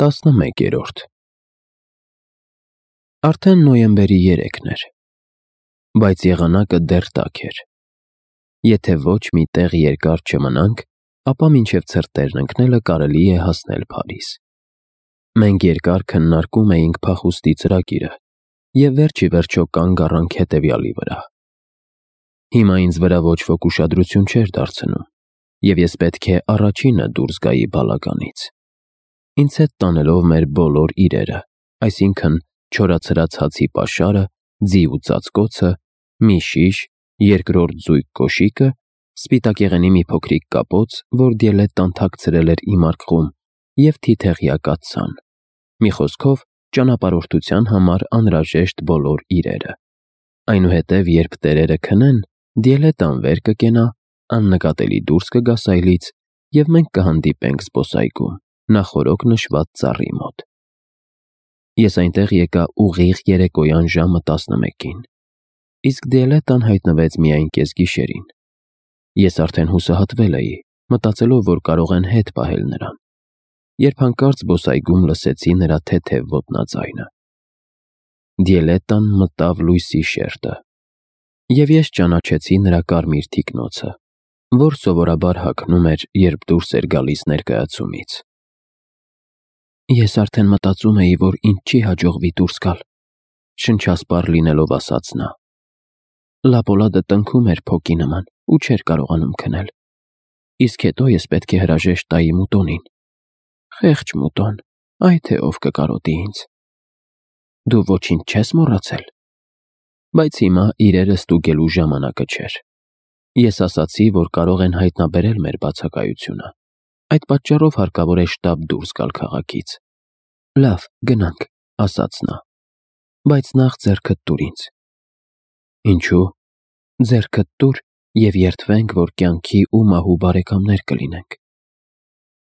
11-րդ Արդեն նոյեմբերի 3-ն էր, բայց եղանակը դեռ տաք էր։ Եթե ոչ մի տեղ երկար չմնանք, ապա մինչև ցրտերն ընկնելը կարելի է հասնել Փարիզ։ Մենք երկար քննարկում էինք փախուստի ծրագիրը և վերջ ի վերջո կանգ առանք հետևյալի վրա։ Հիմա ինձ վրա ոչ ոք ուշադրություն չէր դարձնում, և ես պետք է առաջինը դուրս գայի բալականից, ինձ հետ տանելով մեր բոլոր իրերը, այսինքն չորացրած հացի պաշարը, ձի ու ծածկոցը, մի շիշ, երկրորդ զույգ կոշիկը, սպիտակեղենի մի փոքրիկ կապոց, որ Դիելետտան թաքցրել էր իմ արկղում, և թիթեղյա կաթսան, մի խոսքով ճանապարհորդության համար անհրաժեշտ բոլոր իրերը։ Այնուհետև, երբ տերերը քնեն, Դիելետտան վեր կկենա, աննկատելի դուրս կգա սայլից, և մենք կհանդիպենք զբոսայգում, նախօրոք նշված ծառի մոտ։ Ես այնտեղ եկա ուղիղ երեկոյան ժամը 11-ին, իսկ Դիելետտան հայտնվեց միայն կեսգիշերին։ Ես արդեն հուսահատվել էի, մտածելով, որ կարող են հետ պահել նրան, երբ հանկարծ զբոսայգում լսեցի նրա թեթև ոտնաձայնը։ Դիելետտան մտավ լույսի շերտը, և ես ճանաչեցի նրա կարմիր թիկնոցը, որ սովորաբար հագնում էր, երբ դուրս էր գալիս ներկայացումից։ Ես արդեն մտածում էի, որ ինձ չի հաջողվի դուրս գալ, շնչասպառ լինելով ասաց նա։ Լապոլադը տնքում էր փոկի նման ու չէր կարողանում քնել, իսկ հետո ես պետք է հրաժեշտ տայի Մուտոնին։ Խեղճ Մուտոն, այ թե ով կկարոտի ինձ։ Դու ոչինչ չես մոռացել։ Բայց հիմա իրերը ստուգելու ժամանակը չէր։ Ես ասացի, որ կարող են հայտնաբերել մեր բացակայությունը։ Այդ պատճառով հարկավոր է շտապ դուրս գալ քաղաքից։ Լավ, գնանք, ասաց նա, բայց նախ ձեռքդ տուր ինձ։ Ինչու՞։ Ձեռքդ տուր և երդվենք, որ կյանքի ու մահու բարեկամներ կլինենք։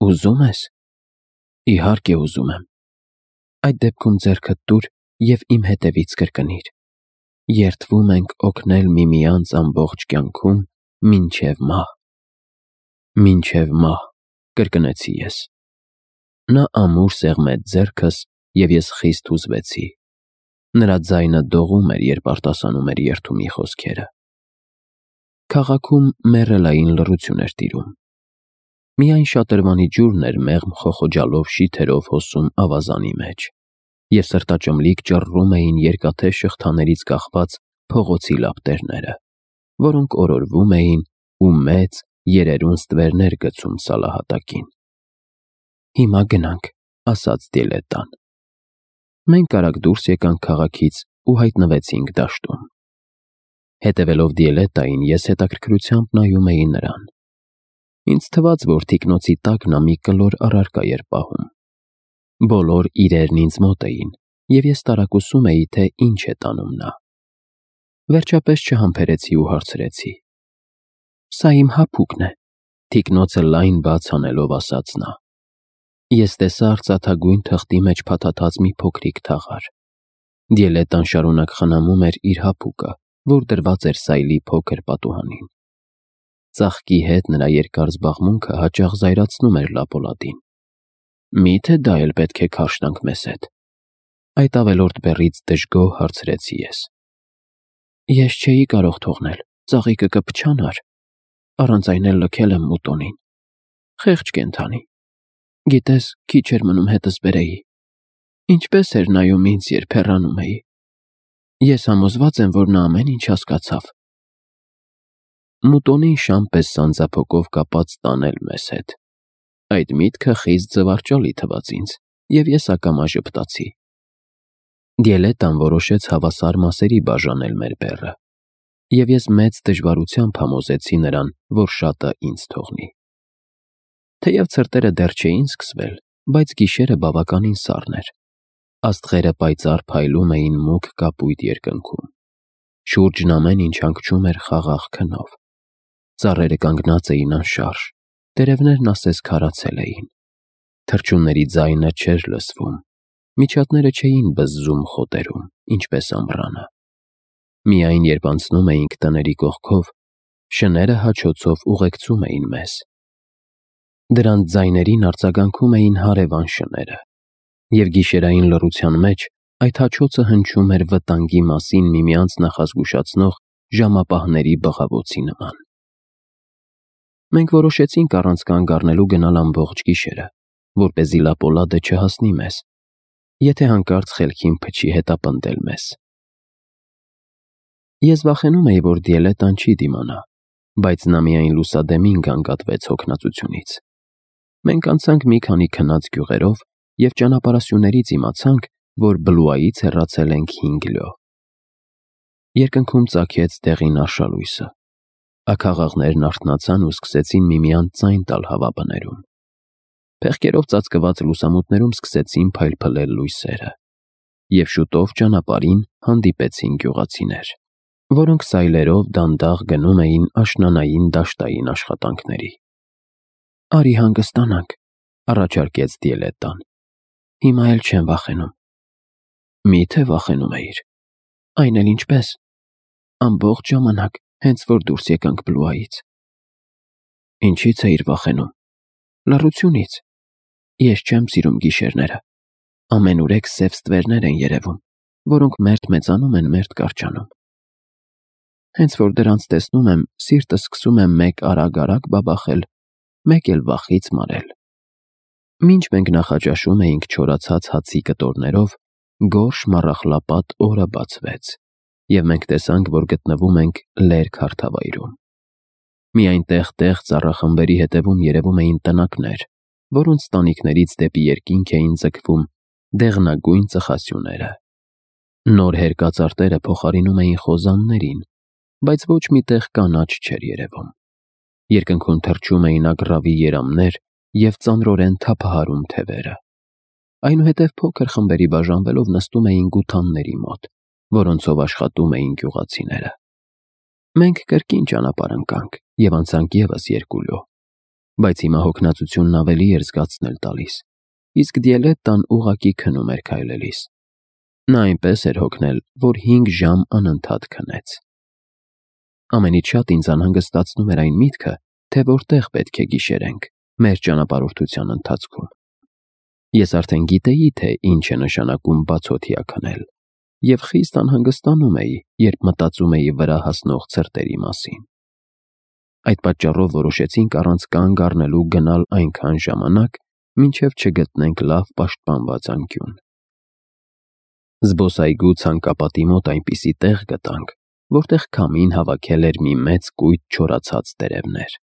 Ուզում ես։ Իհարկե ուզում եմ։ Այդ դեպքում ձեռքդ տուր և իմ հետևից կրկնիր. երդվում ենք օգնել միմյանց ամբողջ կյանքում մինչև մահ։ Մինչև մահ, կրկնեցի ես։ Նա ամուր սեղմեց ձեռքս, և ես խիստ հուզվեցի։ Նրա ձայնը դողում էր, երբ արտասանում էր երդումի խոսքերը։ Քաղաքում մեռելային լռություն էր տիրում։ Միայն շատրվանի ջուրն էր մեղմ խոխոջալով շիթերով հոսում ավազանի մեջ, և սրտաճմլիկ ճռռում էին երկաթե շղթաներից կախված փողոցի լապտերները, որոնք օրորվում էին ու մեծ, երերուն ստվերներ գցում սալահատակին։ Հիմա գնանք, ասաց Դիելետտան։ Մենք արագ դուրս եկանք քաղաքից ու հայտնվեցինք դաշտում։ Հետևելով Դիելետտային, ես հետաքրքրությամբ նայում էի նրան։ Ինձ թվաց, որ թիկնոցի տակ նա մի կլոր առարկա էր պահում։ Բոլոր իրերն ինձ մոտ էին, և ես տարակուսում էի, թե ինչ է տանում նա։ Վերջապես չհամբերեցի ու հարցրեցի. Սա իմ հափուկն է, թիկնոցը լայն բաց անելով ասաց նա։ Ես տեսա արծաթագույն թղթի մեջ փաթաթած մի փոքրիկ թաղար։ Դիելետտան շարունակ խնամում էր իր հափուկը, որ դրված էր սայլի փոքր պատուհանին։ Ծաղկի հետ նրա երկար զբաղմունքը հաճախ զայրացնում էր Լապոլադին։ Մի՞թե դա էլ պետք է քարշ տանք մեզ հետ։ Այդ ավելորդ բեռից դժգոհ հարցրեցի ես։ Ես չէի կարող թողնել, ծաղիկը կփչանար, առանց այն էլ լքել եմ Մուտոնին։ Խեղճ կենդանի։ Գիտես, քիչ էր մնում հետս բերեի։ Ինչպես էր նայում ինձ, երբ հեռանում էի։ Ես համոզված եմ, որ նա ամեն ինչ հասկացավ։ Մուտոնին շան պես սանձափոկով կապած տանել մեզ հետ։ Այդ միտքը խիստ զվարճալի թվաց ինձ, և ես ակամա ժպտացի։ Դիելետտան որոշեց հավասար մասերի բաժանել մեր բեռը, և ես մեծ դժվարությամբ համոզեցի նրան, որ շատը ինձ թողնի։ Թեև ցրտերը դեռ չէին սկսվել, բայց գիշերը բավականին սառն էր։ Աստղերը պայծառ փայլում էին մուգ կապույտ երկնքում։ Շուրջն ամեն ինչ հանգչում էր խաղաղ քնով։ Ծառերը կանգնած էին անշարժ, տերևներն ասես քարացել էին։ Թռչունների ձայնը չէր լսվում, միջատները չէին բզզում խոտերում, ինչպես ամռանը։ Միայն երբ անցնում էինք տների կողքով, շները հաչոցով ուղեկցում էին մեզ։ Դրանց ձայներին արձագանքում էին հարևան շները, Եվ գիշերային լռության մեջ այդ հաչոցը հնչում էր վտանգի մասին միմյանց նախազգուշացնող ժամապահների բղավոցի նման։ Մենք որոշեցինք առանց կանգ առնելու գնալ ամբողջ գիշերը, որպեսզի լապոլադը չհասնի մեզ, եթե հանկարծ խելքին փչի հետապնդել մեզ։ Ես վախենում էի, որ Դիելետան չի դիմանա, բայց նա միայն լուսադեմին գանգատվեց հոգնածությունից։ Մենք անցանք մի քանի քնած գյուղերով և ճանապարհասյուներից իմացանք, որ Բլուայից հեռացել ենք 5 լյո։ Երկնքում ծագեց դեղին արշալույսը։ Աքաղաղներն արթնացան ու սկսեցին միմյանց ձայն տալ հավաբներում։ Փեղկերով ծածկված լուսամուտներում սկսեցին փայլփլել լույսերը, և շուտով ճանապարհին հանդիպեցին գյուղացիներ, որոնք սայլերով դանդաղ գնում էին աշնանային դաշտային աշխատանքների։ «Արի հանգստանանք», առաջարկեց Դիելետան։ «Հիմա էլ չեմ վախենում»։ «Մի՞թե վախենում էիր»։ «Այն էլ ինչպես։ Ամբողջ ժամանակ, հենց որ դուրս եկանք Բլուայից»։ «Ինչի՞ց էիր վախենում»։ «Լռությունից։ Ես չեմ սիրում գիշերները։ Ամենուրեք սև ստվերներ են երևում, որոնք մերթ մեծանում են, մերթ կարճանում։ Հենց որ դրանց տեսնում եմ, սիրտս սկսում է մեկ արագ բաբախել, մեկ էլ վախից մարել»։ Մինչ մենք նախաճաշում էինք չորացած հացի կտորներով, գորշ մառախլապատ օրը բացվեց, և մենք տեսանք, որ գտնվում ենք լերկ հարթավայրում։ Միայն տեղ-տեղ ծառախմբերի հետևում երևում էին տնակներ, որոնց տանիքներից դեպի երկինք էին ձգվում դեղնագույն ծխասյուները։ Նոր հերկածարտերը փոխարինում էին խոզաններին, բայց ոչ մի տեղ կանաչ չէր երևում։ Երկնքում թռչում էին ագռավի երամներ և ծանրորեն թափահարում թևերը։ Այնուհետև փոքր խմբերի բաժանվելով նստում էին գութանների մոտ, որոնցով աշխատում էին գյուղացիները։ Մենք կրկին ճանապարհ ընկանք և անցանք ևս 2 լյո, բայց հիմա հոգնածությունն ավելի էր զգացնել տալիս, իսկ Դիելետան ուղղակի քնում էր քայլելիս։ Նա այնպես էր հոգնել, որ 5 ժամ անընդհատ քնեց։ Ամենից շատ ինձ անհանգստացնում էր այն միտքը, թե որտեղ պետք է գիշերենք մեր ճանապարհորդության ընթացքում։ Ես արդեն գիտեի, թե ինչ է նշանակում բացօթյա քնել, և խիստ անհանգստանում էի, երբ մտածում էի վրա հասնող ցրտերի մասին։ Այդ պատճառով որոշեցինք առանց կանգ առնելու գնալ այնքան ժամանակ, մինչև չգտնենք լավ պաշտպանված անկյուն։ Զբոսայգու ցանկապատի մոտ այնպիսի տեղ գտանք, որտեղ քամին հավաքել էր մի մեծ կույտ չորացած տերևներ։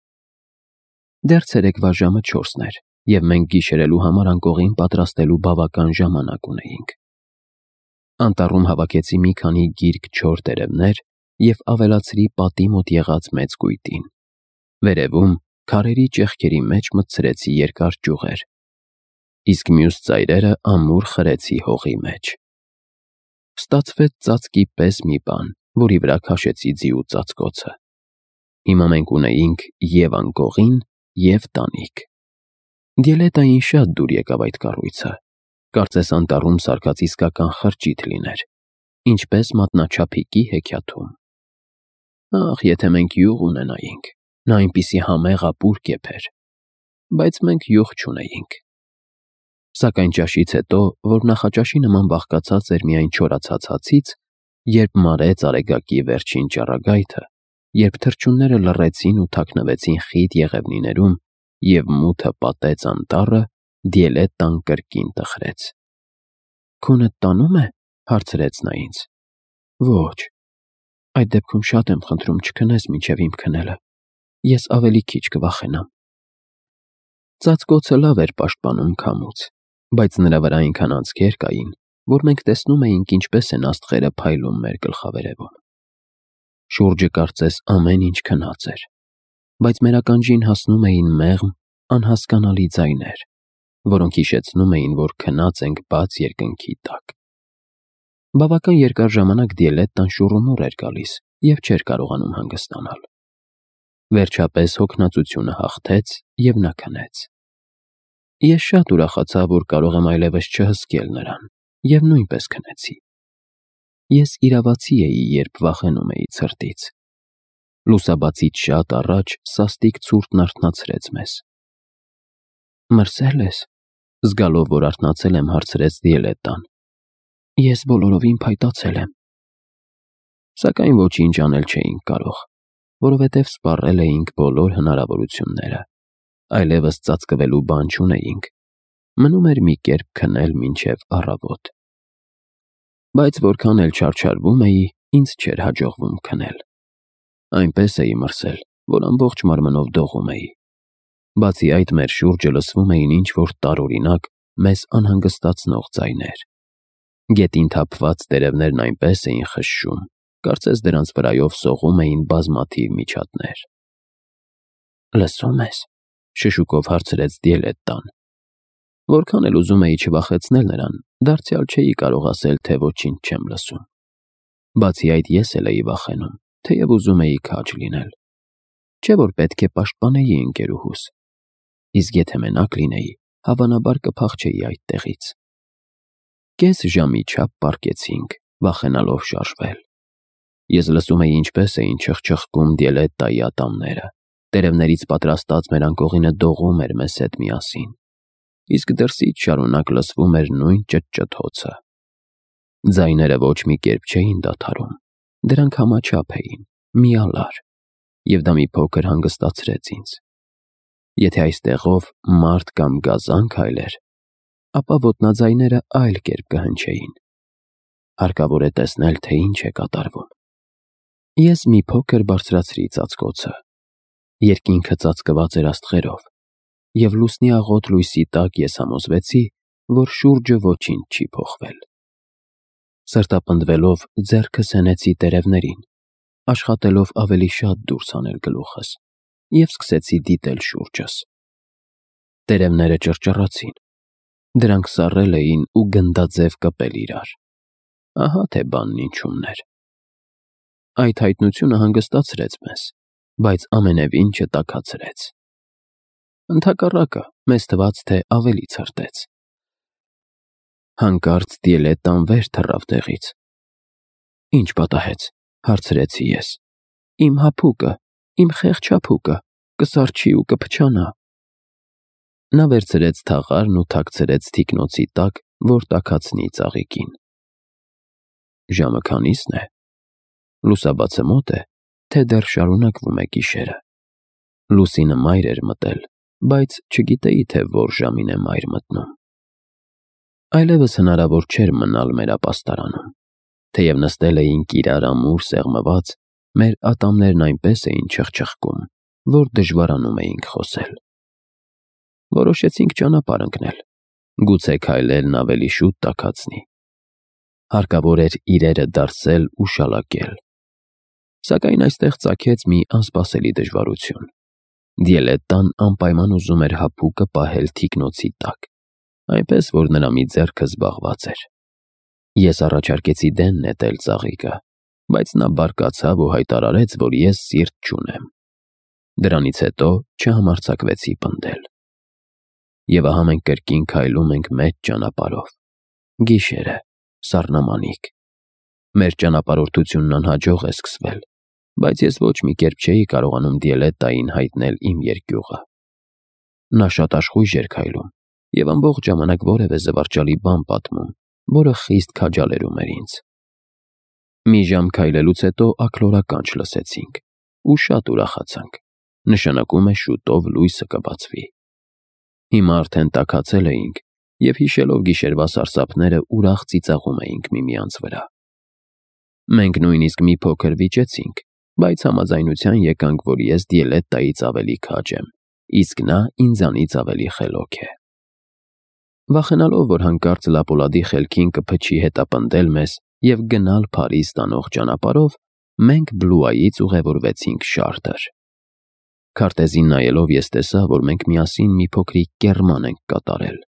Դեռ ցերեկվա ժամը 4-ն էր, և մենք գիշերելու համար անկողին պատրաստելու բավական ժամանակ ունեինք։ Անտառում հավաքեցի մի քանի գիրք չոր տերևներ և ավելացրի պատի մոտ եղած մեծ կույտին։ Վերևում քարերի ճեղքերի մեջ մտցրեցի երկար ճյուղեր, իսկ մյուս ծայրերը ամուր խրեցի հողի մեջ։ Ստացվեց ծածկի պես մի բան, որի վրա քաշեցի ձիու ծածկոցը։ Հիմա մենք ունեինք և անկողին, և տանիք։ Դիելետային շատ դուր եկավ այդ կառույցը։ Կարծես անտառում սարքած իսկական խրճիթ լիներ, ինչպես մատնաչափիկի հեքիաթում։ Ախ, եթե մենք յուղ ունենայինք, նա այնպիսի համեղ ապուր կեփեր։ Բայց մենք յուղ չունեինք։ Սակայն ճաշից հետո, որ նախաճաշի նման բաղկացած էր միայն չորացած հացից, երբ մարեց արեգակի վերջին ճառագայթը, երբ թռչունները լռեցին ու թաքնվեցին խիտ եղևնիներում, և մութը պատեց անտառը, Դիելետան կրկին տխրեց։ «Քունդ տանո՞ւմ է»։ հարցրեց նա ինձ։ «Ոչ»։ «Այդ դեպքում շատ եմ խնդրում չքնես մինչև իմ քնելը։ Ես ավելի քիչ կվախենամ»։ Ծածկոցը լավ էր պաշտպանում քամուց, բայց նրա վրա այնքան անցքեր կային, որ մենք տեսնում էինք ինչպես են աստղերը փայլում մեր գլխավերևում։ Շուրջը կարծես ամեն ինչ քնած էր, բայց մեր ականջին հասնում էին մեղմ, անհասկանալի ձայներ, որոնք հիշեցնում էին, որ քնած ենք բաց երկնքի տակ։ Բավական երկար ժամանակ Դիելետան շուռումուռ էր գալիս և չէր կարողանում հանգստանալ։ Վերջապես հոգնածությունը հաղթեց, և նա քնեց։ Ես շատ ուրախացա, որ կարող եմ այլևս չհսկել նրան, և նույնպես քնեցի։ Ես իրավացի էի, երբ վախենում էի ցրտից։ Լուսաբացից շատ առաջ սաստիկ ցուրտն արթնացրեց մեզ։ «Մրսե՞լ ես»։ Զգալով, որ արթնացել եմ, հարցրեց Դիելետան. Ես բոլորովին փայտացել եմ։ Սակայն ոչինչ անել չէինք կարող, որովհետև սպառել էինք բոլոր հնարավորությունները։ Այլևս ծածկվելու բան չունեինք։ Մնում էր մի կերպ քնել մինչև առավոտ։ Բայց որքան էլ չարչարվում էի, ինձ չէր հաջողվում քնել։ Այնպես էի մրսել, որ ամբողջ մարմնով դողում էի։ Բացի այդ, մեր շուրջը լսվում էին ինչ-որ տարօրինակ, մեզ անհանգստացնող ձայներ։ Գետին թափված տերևներն այնպես էին խշշում, կարծես դրանց վրայով սողում էին բազմաթիվ միջատներ։ Լսո՞ւմ ես, շշուկով հարցրեց Դիելետան։ Որքան էլ ուզում էի չվախեցնել նրան, դարձյալ չէի կարող ասել, թե ոչինչ չեմ լսում։ Բացի այդ, ես էլ էի վախենում, թեև ուզում էի քաջ լինել։ Չէ՞ որ պետք է պաշտպանեի ընկերուհուս։ Իսկ եթե մենակ լինեի, հավանաբար կփախչեի այդտեղից։ Կես ժամի չափ պառկեցինք, վախենալով շարժվել։ Ես լսում էի ինչպես էին չխչխկում Դիելետայի ատամները։ Տերևներից պատրաստած մեր անկողինը դողում էր մեզ հետ միասին։ Իսկ դրսից շարունակ լսվում էր նույն ճտճթոցը։ Ձայները ոչ մի կերպ չէին դադարում։ Դրանք համաչափ էին, միալար, և դա մի փոքր հանգստացրեց ինձ։ Եթե այստեղով մարդ կամ գազան քայլեր, ապա ոտնաձայները այլ կերպ կհնչեին։ Հարկավոր է տեսնել, թե ինչ է կատարվում։ Ես մի փոքր բարձրացրի ծածկոցը։ Երկինքը ծածկված էր աստղերով, և լուսնի աղոտ լույսի տակ ես համոզվեցի, որ շուրջը ոչինչ չի փոխվել։ Սրտապնդվելով ձեռքս հենեցի տերևներին, աշխատելով ավելի շատ դուրս հանել գլուխս, և սկսեցի դիտել շուրջս։ Տերևները ճռճռացին։ Դրանք սառել էին ու գնդաձև կպել իրար։ Ահա թե բանն ինչումն էր։ Այդ հայտնությունը հանգստացրեց մեզ, բայց ամենևին չտաքացրեց։ Ընդհակառակը, մեզ թվաց, թե ավելի ցրտեց։ Հանկարծ Դիելետան վեր թռավ տեղից։ Ինչ պատահեց, հարցրեցի ես։ Իմ հափուկը, իմ խեղճ հափուկը, կսառչի ու կփչանա։ Նա վերցրեց թաղարն ու թաքցրեց թիկնոցի տակ, որ տաքացնի ծաղիկին։ Ժամը քանի՞սն է։ Լուսաբացը մոտ է, թե դեռ շարունակվում է գիշերը։ Լուսինը մայր էր մտել, բայց չգիտեի, թե որ ժամին է մայր մտնում։ Այլևս հնարավոր չէր մնալ մեր ապաստարանում։ Թեև նստել էինք իրար ամուր սեղմված, մեր ատամներն այնպես էին չխչխկում, որ դժվարանում էինք խոսել։ Որոշեցինք ճանապարհ ընկնել, գուցե քայլերն ավելի շուտ տաքացնի։ Հարկավոր էր իրերը դարսել ու շալակել։ Սակայն այստեղ ծագեց մի անսպասելի դժվարություն։ Դիելետան անպայման ուզում էր հափուկը պահել թիկնոցի տակ, այնպես որ նրա մի ձեռքը զբաղված էր։ Ես առաջարկեցի դեն նետել ծաղիկը, բայց նա բարկացավ ու հայտարարեց, որ ես սիրտ չունեմ։ Դրանից հետո չհամարձակվեցի պնդել։ Եվ ահա մենք կրկին քայլում ենք մեծ ճանապարհով։ Գիշեր է, սառնամանիք։ Մեր ճանապարհորդությունն անհաջող է սկսվել, բայց ես ոչ մի կերպ չէի կարողանում Դիելետային հայտնել իմ երկյուղը։ Նա շատ աշխույժ էր քայլում և ամբողջ ժամանակ որևէ զվարճալի բան պատմում, որը խիստ քաջալերում էր ինձ։ Մի ժամ քայլելուց հետո աքլորականջ լսեցինք ու շատ ուրախացանք։ Նշանակում է շուտով լույսը կբացվի։ Հիմա արդեն տաքացել էինք և հիշելով գիշերվա սարսափները ուրախ ծիծաղում էինք միմյանց վրա։ Մենք նույնիսկ մի փոքր վիճեցինք, բայց համաձայնության եկանք, որ ես Դիելետայից ավելի քաջ եմ, իսկ նա ինձանից ավելի խելոք է։ Վախենալով, որ հանկարծ Լապոլադի խելքին կփչի հետապնդել մեզ և գնալ Փարիզ տանող ճանապարհով, մենք Բլուայից ուղևորվեցինք Շարտր։ Քարտեզին նայելով ես տեսա, որ մենք միասին մի փոքրիկ կեռման ենք կատարել։